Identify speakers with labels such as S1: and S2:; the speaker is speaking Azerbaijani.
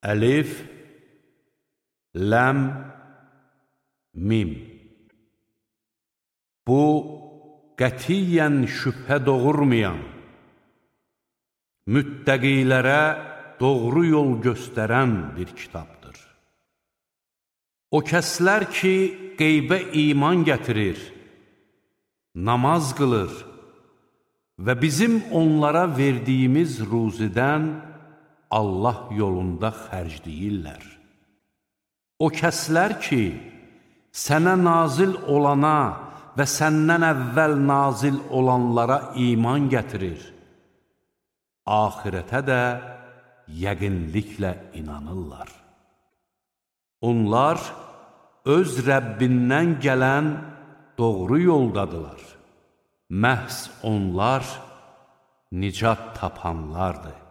S1: Əlif, Ləm, Mim. Bu, qətiyyən şübhə doğurmayan, müttəqilərə doğru yol göstərən bir kitabdır. O kəslər ki, qeybə iman gətirir, namaz qılır və bizim onlara verdiyimiz ruzidən Allah yolunda xərcləyirlər. O kəslər ki, sənə nazil olana və səndən əvvəl nazil olanlara iman gətirir, axirətə də yəqinliklə inanırlar. Onlar öz Rəbbindən gələn doğru yoldadılar. Məhz onlar nicat tapanlardır.